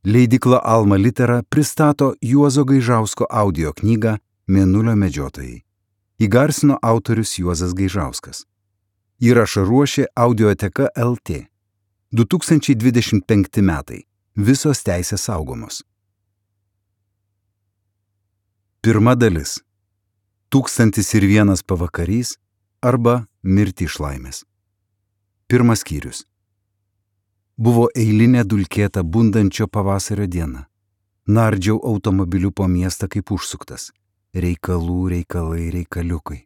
Leidykla Alma Litera pristato Juozo Gaižausko audio knygą Mėnulio medžiotojai. Įgarsino autorius Juozas Gaižauskas. Įrašą ruošė Audioteka LT. 2025 metai. Visos teisės saugomos. Pirma dalis. 1001 pavakarys arba mirti iš laimės. Pirmas skyrius. Buvo eilinė dulkėta bundančio pavasario diena. Nardžiau automobiliu po miestą kaip užsuktas. Reikaliukai.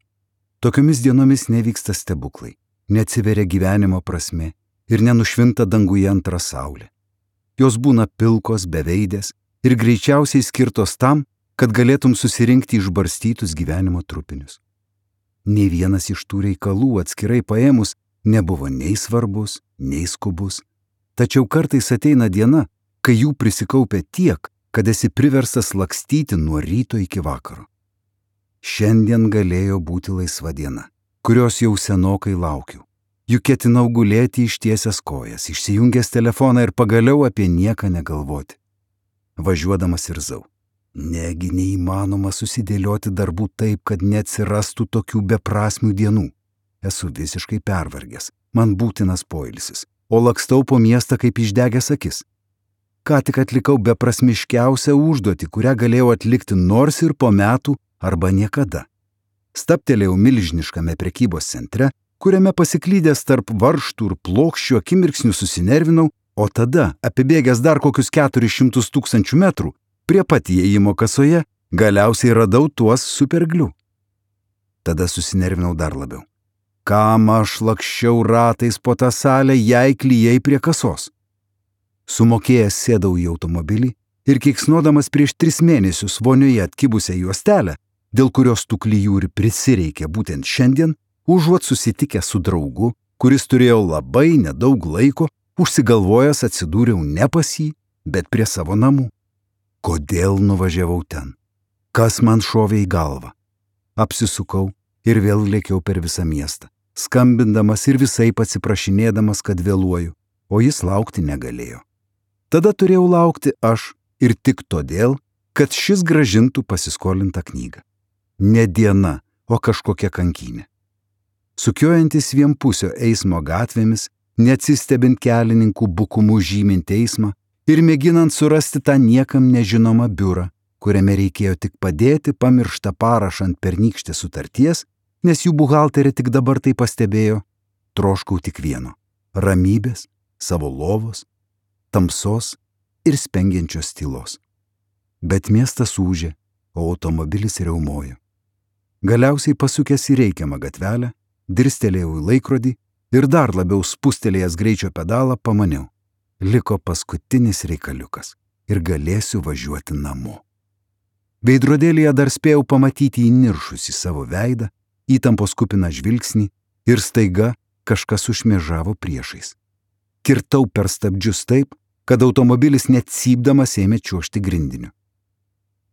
Tokiomis dienomis nevyksta stebuklai, neatsiveria gyvenimo prasmė ir nenušvinta danguje antra saulė. Jos būna pilkos, beveidės ir greičiausiai skirtos tam, kad galėtum susirinkti išbarstytus gyvenimo trupinius. Nei vienas iš tų reikalų atskirai paėmus nebuvo nei svarbus, nei skubus. Tačiau kartais ateina diena, kai jų prisikaupia tiek, kad esi priverstas lakstyti nuo ryto iki vakaro. Šiandien galėjo būti laisva diena, kurios jau senokai laukiu. Juk ketinau gulėti ištiesęs kojas, išsijungęs telefoną ir pagaliau apie nieką negalvoti. Važiuodamas irzau. Negi neįmanoma susidėlioti darbų taip, kad neatsirastų tokių beprasmių dienų. Esu visiškai pervargęs, man būtinas poilsis, o lakstau po miestą kaip išdegęs akis. Ką tik atlikau beprasmiškiausią užduotį, kurią galėjau atlikti nors ir po metų arba niekada. Stabtelėjau milžiniškame prekybos centre, kuriame pasiklydęs tarp varžtų ir plokščių akimirksnių susinervinau, o tada, apibėgęs dar kokius 400 000 metrų, prie pat įėjimo kasoje galiausiai radau tuos superglių. Tada susinervinau dar labiau. Kam aš lakščiau ratais po tą salę, jei klijai prie kasos? Sumokėjęs sėdau į automobilį ir keiksnodamas prieš 3 mėnesius vonioje atkibusią juostelę, dėl kurios tų klijų ir prisireikė būtent šiandien, užuot susitikę su draugu, kuris turėjo labai nedaug laiko, užsigalvojęs atsidūriau ne pas jį, bet prie savo namų. Kodėl nuvažiavau ten? Kas man šovė į galvą? Apsisukau ir vėl lėkiau per visą miestą, skambindamas ir visaip atsiprašinėdamas, kad vėluoju, o jis laukti negalėjo. Tada turėjau laukti aš ir tik todėl, kad šis grąžintų pasiskolintą knygą. Ne diena, o kažkokia kankynė. Sukiojantis vienpusio eismo gatvėmis, neatsistebint kelininkų bukumų žymint eismą ir mėginant surasti tą niekam nežinomą biurą, kuriame reikėjo tik padėti pamirštą parašą ant pernykštės sutarties, nes jų buhalterė tik dabar tai pastebėjo, troškau tik vieno – ramybės, savo lovos, tamsos ir spengiančios tylos. Bet miestas ūžė, o automobilis riaumojo. Galiausiai pasukęs į reikiamą gatvelę, dirstelėjau į laikrodį ir dar labiau spustelėjęs greičio pedalą pamaniau. Liko paskutinis reikaliukas ir galėsiu važiuoti namo. Veidrodėlyje dar spėjau pamatyti įniršusį savo veidą, įtampos kupiną žvilgsnį ir staiga kažkas užšmėžavo priešais. Kirtau per stabdžius taip, kad automobilis net cypdamas ėmė čiuožti grindiniu.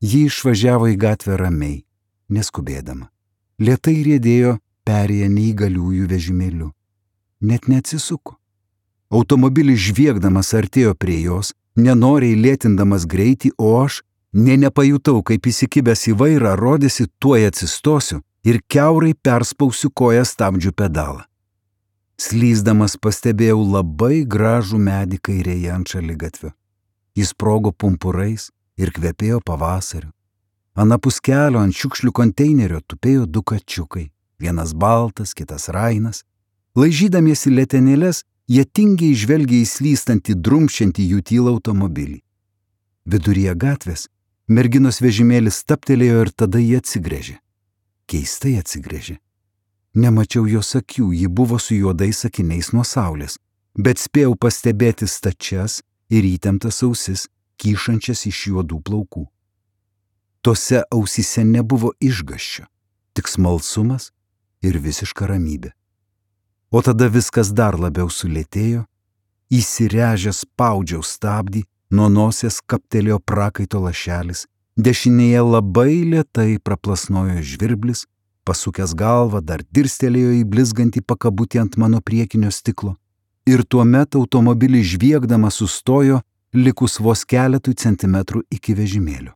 Ji išvažiavo į gatvę ramiai, neskubėdama. Lėtai riedėjo perėję neįgaliųjų vežimėliu. Net neatsisuko. Automobilis žviegdamas artėjo prie jos, nenoriai lėtindamas greitį, o aš nepajutau, kaip įsikibęs į vairą, rodėsi tuoj atsistosiu ir kiaurai perspausiu koją stabdžių pedalą. Slysdamas pastebėjau labai gražų medį kairėje ant šaligatvio. Jis sprogo pumpurais ir kvepėjo pavasariu. Anapus kelio ant šiukšlių konteinerio tupėjo 2 kačiukai, vienas baltas, kitas rainas. Laižydamiesi letenėles, jie tingiai žvelgė į slystantį, drumščiantį jų tylą automobilį. Viduryje gatvės merginos vežimėlis stabtelėjo ir tada jie atsigręžė. Keistai atsigręžė. Nemačiau jos akių, ji buvo su juodais akiniais nuo saulės, bet spėjau pastebėti stačias ir įtemptas ausis, kyšančias iš juodų plaukų. Tose ausyse nebuvo išgąsčio, tik smalsumas ir visiška ramybė. O tada viskas dar labiau sulėtėjo, įsiręžęs spaudžiau stabdį, nuo nosies kaptelėjo prakaito lašelis, dešinėje labai lėtai praplasnojo žvirblis, pasukęs galvą dar dirstelėjo į blizgantį pakabutį ant mano priekinio stiklo ir tuomet automobilis žviegdamas sustojo, likus vos keletui centimetrų iki vežimėlio.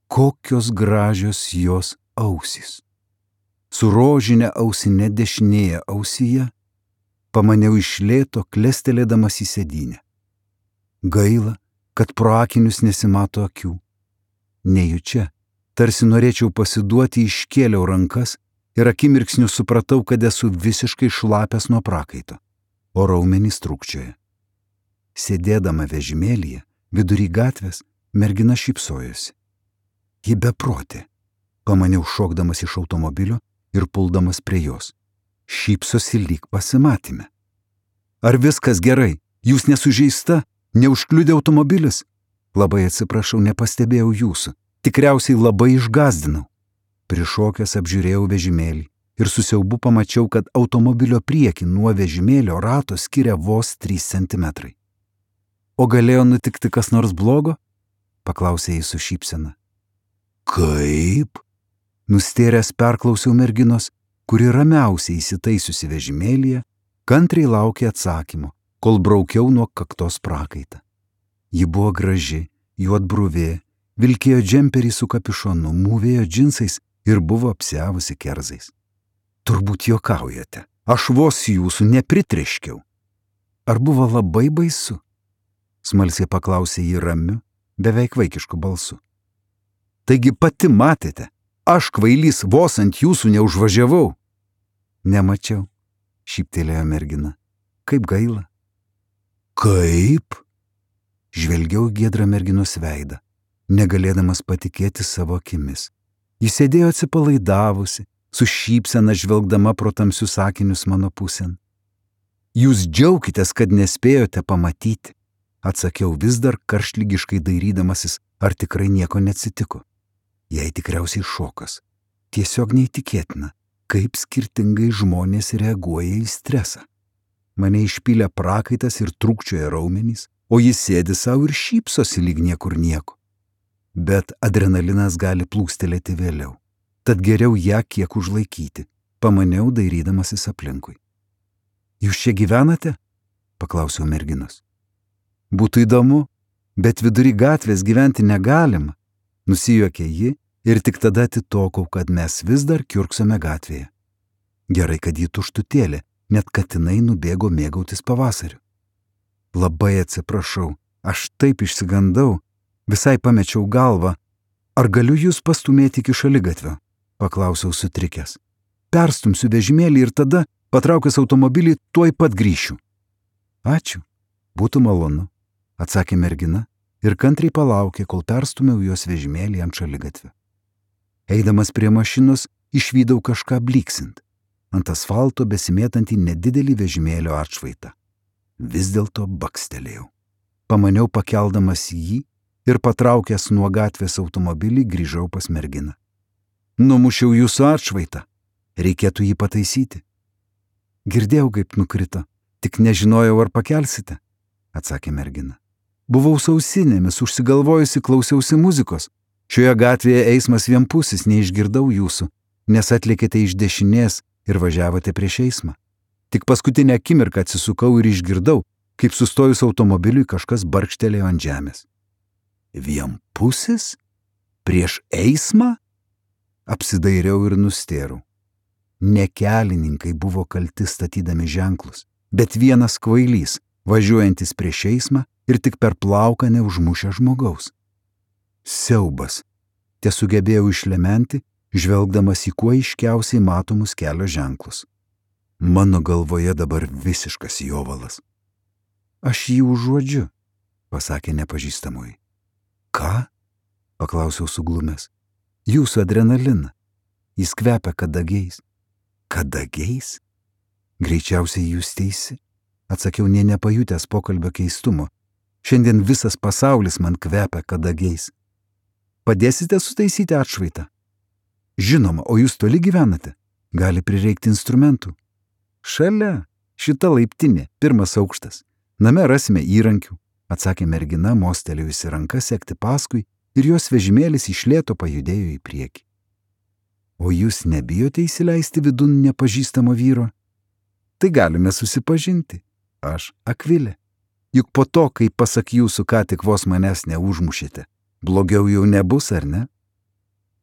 Kokios gražios jos ausys. Su rožinė ausinė dešinėje ausyje pamaniau iš lėto, klestelėdamas į sėdynę. Gaila, kad pro akinius nesimato akių. Nejučia, tarsi norėčiau pasiduoti, iškėliau rankas ir akimirksniu supratau, kad esu visiškai šlapęs nuo prakaito, o raumenys trūkčioja. Sėdėdama vežimėlyje, vidury gatvės, mergina šypsojosi. Ji beprotė, pamaniau šokdamas iš automobilio ir puldamas prie jos. Šypsosi lyg pasimatyme. Ar viskas gerai? Jūs nesužeista? Neužkliudė automobilis? Labai atsiprašau, nepastebėjau jūsų. Tikriausiai labai išgazdinau. Prišokęs apžiūrėjau vežimėlį ir su siaubu pamačiau, kad automobilio priekį nuo vežimėlio rato skiria vos 3 centimetrai. O galėjo nutikti kas nors blogo? Paklausė jis su šypsena. Kaip? Nustėręs perklausiau merginos, kuri ramiausiai įsitaisiusi vežimėlyje, kantriai laukė atsakymo, kol braukiau nuo kaktos prakaitą. Ji buvo graži, juodbruvė, vilkėjo džemperį su kapišonu, mūvėjo džinsais ir buvo apsiavusi kerzais. Turbūt juokaujate, aš vos jūsų nepritriškiau. Ar buvo labai baisu? Smalsiai paklausė ji ramiu, beveik vaikišku balsu. Taigi pati matėte, aš kvailys vos ant jūsų neužvažiavau. Nemačiau, šyptelėjo mergina. Kaip gaila. Kaip? Žvelgiau giedrą merginos veidą, negalėdamas patikėti savo akimis. Jis sėdėjo atsipalaidavusi, su šypsena žvelgdama pro tamsius akinius mano pusėn. Jūs džiaukitės, kad nespėjote pamatyti, atsakiau vis dar karštlygiškai dairydamasis, ar tikrai nieko neatsitiko. Jai tikriausiai šokas. Tiesiog neįtikėtina, kaip skirtingai žmonės reaguoja į stresą. Mane išpylė prakaitas ir trūkčioja raumenys, o jis sėdi savo ir šypsosi lyg niekur nieko. Bet adrenalinas gali plūstelėti vėliau. Tad geriau ją kiek užlaikyti, pamaniau dairydamasis aplinkui. Jūs čia gyvenate? Paklausiau merginos. Būtų įdomu, bet vidury gatvės gyventi negalima. Nusijuokė ji ir tik tada atitokau, kad mes vis dar kiurksome gatvėje. Gerai, kad ji tuštutėlė, net katinai nubėgo mėgautis pavasariu. Labai atsiprašau, aš taip išsigandau, visai pamečiau galvą. Ar galiu jūs pastumėti iki šaligatvio? Paklausiau sutrikęs. Perstumsiu vežimėlį ir tada, patraukęs automobilį, tuoj pat grįšiu. Ačiū, būtų malonu, atsakė mergina ir kantriai palaukė, kol perstumiau jos vežimėlį ant šaligatvio. Eidamas prie mašinos, išvydau kažką bliksint, ant asfalto besimėtantį nedidelį vežimėlio atšvaitą. Vis dėlto bakstelėjau. Pamaniau pakeldamas jį ir patraukęs nuo gatvės automobilį grįžau pas merginą. Numušiau jūsų atšvaitą. Reikėtų jį pataisyti. Girdėjau, kaip nukrito, tik nežinojau, ar pakelsite, atsakė mergina. Buvau su ausinėmis, užsigalvojusi, klausiausi muzikos. Šioje gatvėje eismas vienpusis, neišgirdau jūsų, nes atlėkėte iš dešinės ir važiavote prieš eismą. Tik paskutinę akimirką atsisukau ir išgirdau, kaip sustojus automobiliui kažkas barkštelėjo ant žemės. Vienpusis? Prieš eismą? Apsidairiau ir nustėrau. Ne kelininkai buvo kalti statydami ženklus, bet vienas kvailys, važiuojantis prieš eismą ir tik per plauką neužmušę žmogaus. Siaubas. Tesugebėjau išlementi, žvelgdamas į kuo aiškiausiai matomus kelio ženklus. Mano galvoje dabar visiškas jovalas. Aš jį užuodžiu, pasakė nepažįstamoji. Ką? Paklausiau suglumęs. Jūsų adrenaliną. Jis kvepia kadagiais. Kadagiais? Greičiausiai jūs teisi, atsakiau nė nepajutęs pokalbio keistumo. Šiandien visas pasaulis man kvepia kadagiais. Padėsite sutaisyti atšvaitą? Žinoma, o jūs toli gyvenate? Gali prireikti instrumentų. Šalia, šita laiptinė, 1 aukštas. Name rasime įrankių, atsakė mergina, mostelėjusi ranką sekti paskui ir jos vežimėlis iš lėto pajudėjo į priekį. O jūs nebijote įsileisti vidun nepažįstamo vyro? Tai galime susipažinti. Aš Akvilė. Juk po to, kai pasak jūsų ką tik vos manęs neužmušėte, blogiau jau nebus, ar ne?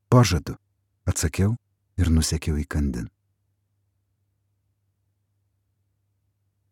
Pažadu, atsakiau ir nusekiau įkandin.